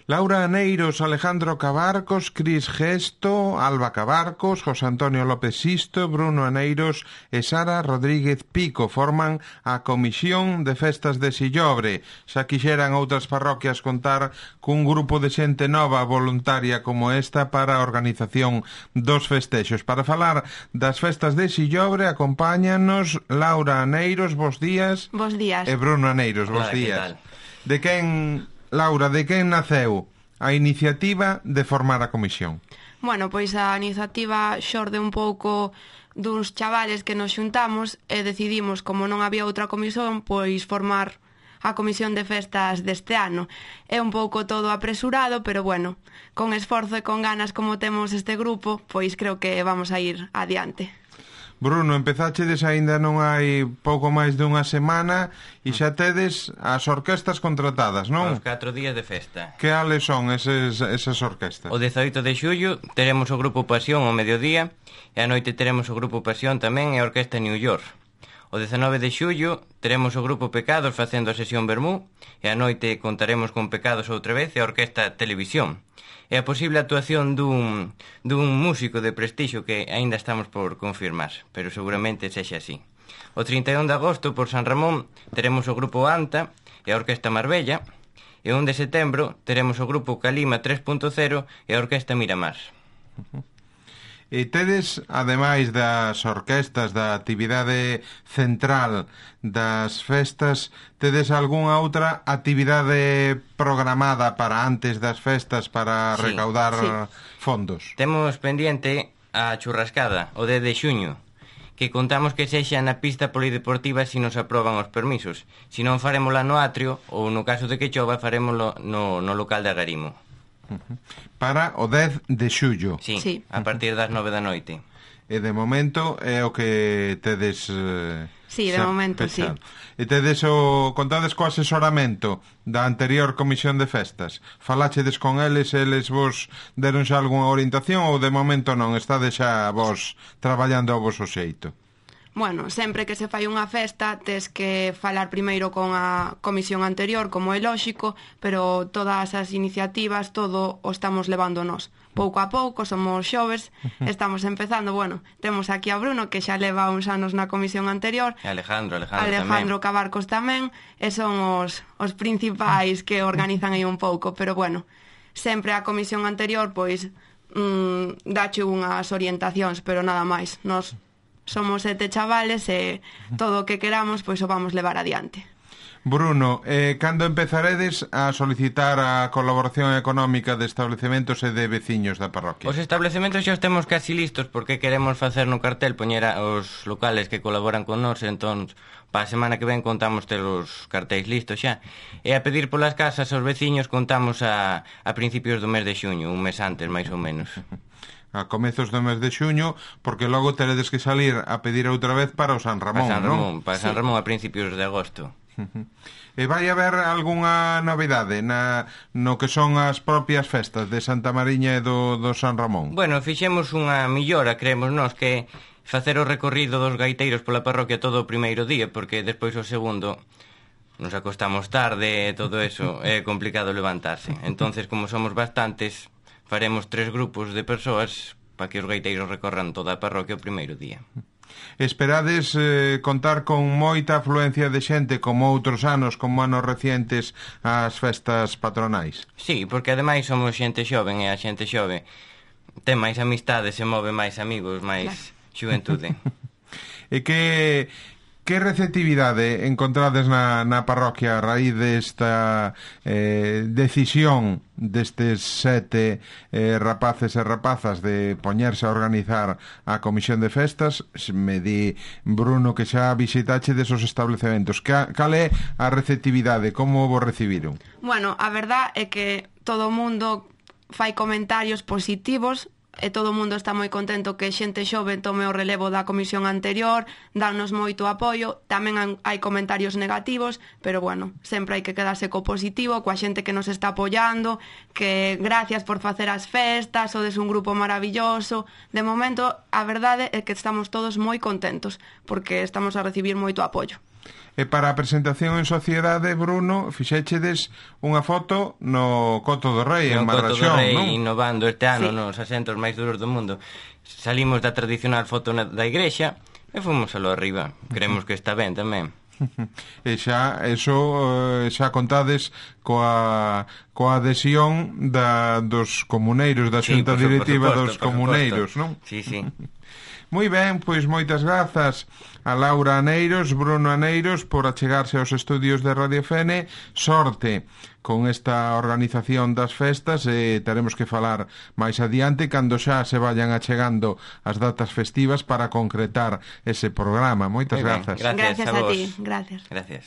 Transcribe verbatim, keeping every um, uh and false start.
Laura Aneiros, Alejandro Cabarcos, Cris Gesto, Alba Cabarcos, José Antonio López Sisto, Bruno Aneiros e Sara Rodríguez Pico forman a Comisión de Festas de Sillobre. Xa quixeran outras parroquias contar cun grupo de xente nova voluntaria como esta para a organización dos festexos. Para falar das festas de Sillobre acompáñanos Laura Aneiros, bos días. Bos días. E Bruno Aneiros, bos Hola, días. De quen... Laura, de quen naceu a iniciativa de formar a comisión? Bueno, pois a iniciativa xorde un pouco duns chavales que nos xuntamos e decidimos, como non había outra comisión, pois formar a comisión de festas deste ano. É un pouco todo apresurado, pero bueno, con esforzo e con ganas como temos este grupo, pois creo que vamos a ir adiante. Bruno, empezachedes aínda non hai pouco máis dunha semana e xa tedes as orquestas contratadas, non? Os catro días de festa. Que ales son eses, esas orquestas? O dezaoito de xullo teremos o Grupo Pasión ao mediodía e a noite teremos o Grupo Pasión tamén e a Orquesta New York. O dezanove de xullo teremos o Grupo Pecados facendo a sesión Vermú e a noite contaremos con Pecados outra vez e a Orquesta Televisión. E a posible actuación dun, dun músico de prestixio que aínda estamos por confirmar, pero seguramente sexa así. O trinta e un de agosto, por San Ramón, teremos o Grupo Anta e a Orquesta Marbella, e o un de setembro teremos o Grupo Calima tres punto cero e a Orquesta Miramar. Uh-huh. E tedes, ademais das orquestas, da actividade central das festas, tedes algunha outra actividade programada para antes das festas para sí, recaudar sí. fondos? Temos pendiente a churrascada, o dez de xuño, que contamos que sexa na pista polideportiva se nos aproban os permisos. Se non farémola no atrio, ou no caso de que chova, farémolo no, no local de Agarimo. Para o dez de xullo. Sí, sí, a partir das nove da noite. E de momento é o que tedes eh, sí, de momento, pensado. sí. E tedes o contades co asesoramento da anterior comisión de festas. Faláchedes con eles, eles vos deron xa algunha orientación ou de momento non, estades xa vos traballando ao voso xeito? Bueno, sempre que se fai unha festa tes que falar primeiro con a comisión anterior, como é lóxico, pero todas as iniciativas, todo o estamos levando nós. Pouco a pouco, somos xoves, estamos empezando, bueno, temos aquí a Bruno, que xa leva uns anos na comisión anterior, E Alejandro, Alejandro, Alejandro tamén. Cabarcos tamén, e son os, os principais que organizan aí un pouco, pero bueno, sempre a comisión anterior, pois, mm, dache unhas orientacións, pero nada máis, nos somos sete chavales e todo o que queramos pois o vamos levar adiante. Bruno, eh, cando empezaredes a solicitar a colaboración económica de establecementos e de veciños da parroquia? Os establecementos xa os temos casi listos porque queremos facer no cartel poñer os locales que colaboran con nós, entón para a semana que ven contamos ter os cartéis listos xa. E a pedir polas casas aos veciños contamos a, a principios do mes de xuño, un mes antes máis ou menos. A comezos do mes de xuño, porque logo teredes que salir a pedir outra vez para o San Ramón, Para San Ramón, non? para San Sí. Ramón a principios de agosto. E vai haber algunha novidade na, no que son as propias festas de Santa Mariña e do, do San Ramón? Bueno, fixemos unha millora, creemos nós, que facer o recorrido dos gaiteiros pola parroquia todo o primeiro día, porque despois o segundo nos acostamos tarde e todo eso, é complicado levantarse. Entonces, como somos bastantes, faremos tres grupos de persoas para que os gaiteiros recorran toda a parroquia o primeiro día. Esperades eh, contar con moita afluencia de xente como outros anos, como anos recientes ás festas patronais? Sí, porque ademais somos xente xoven e a xente xove ten máis amistades, se move máis amigos, máis claro. Xuventude. E que... Que receptividade encontrades na, na parroquia a raíz desta eh, decisión destes sete eh, rapaces e rapazas de poñerse a organizar a comisión de festas? Me di, Bruno, que xa visitache desos establecementos. Cal é a receptividade? Como vos recibiron? Bueno, a verdad é que todo o mundo fai comentarios positivos e todo o mundo está moi contento que xente xove tome o relevo da comisión anterior, danos moito apoio, tamén hai comentarios negativos, pero bueno, sempre hai que quedarse co positivo, coa xente que nos está apoiando, que gracias por facer as festas, sodes un grupo maravilloso. De momento, a verdade é que estamos todos moi contentos, porque estamos a recibir moito apoio. E para a presentación en sociedade, Bruno, fixéchedes unha foto no Coto do Rei, en Marraxón, non? No Coto do Rei, innovando este ano sí. nos asentos máis duros do mundo. Salimos da tradicional foto na, da igrexa e fomos alo arriba. Creemos que está ben tamén. E xa, eso, xa contades coa, coa adhesión da, dos comuneiros, da Sí, xunta por su- directiva por dos suposto, por comuneiros, suposto. non? Sí, sí. Moi ben, pois moitas grazas a Laura Aneiros, Bruno Aneiros por achegarse aos estudios de Radio Fene. Sorte con esta organización das festas e teremos que falar máis adiante cando xa se vayan achegando as datas festivas para concretar ese programa. Moitas Moi ben, grazas. Gracias Gracias a a vos. ti, gracias. Gracias.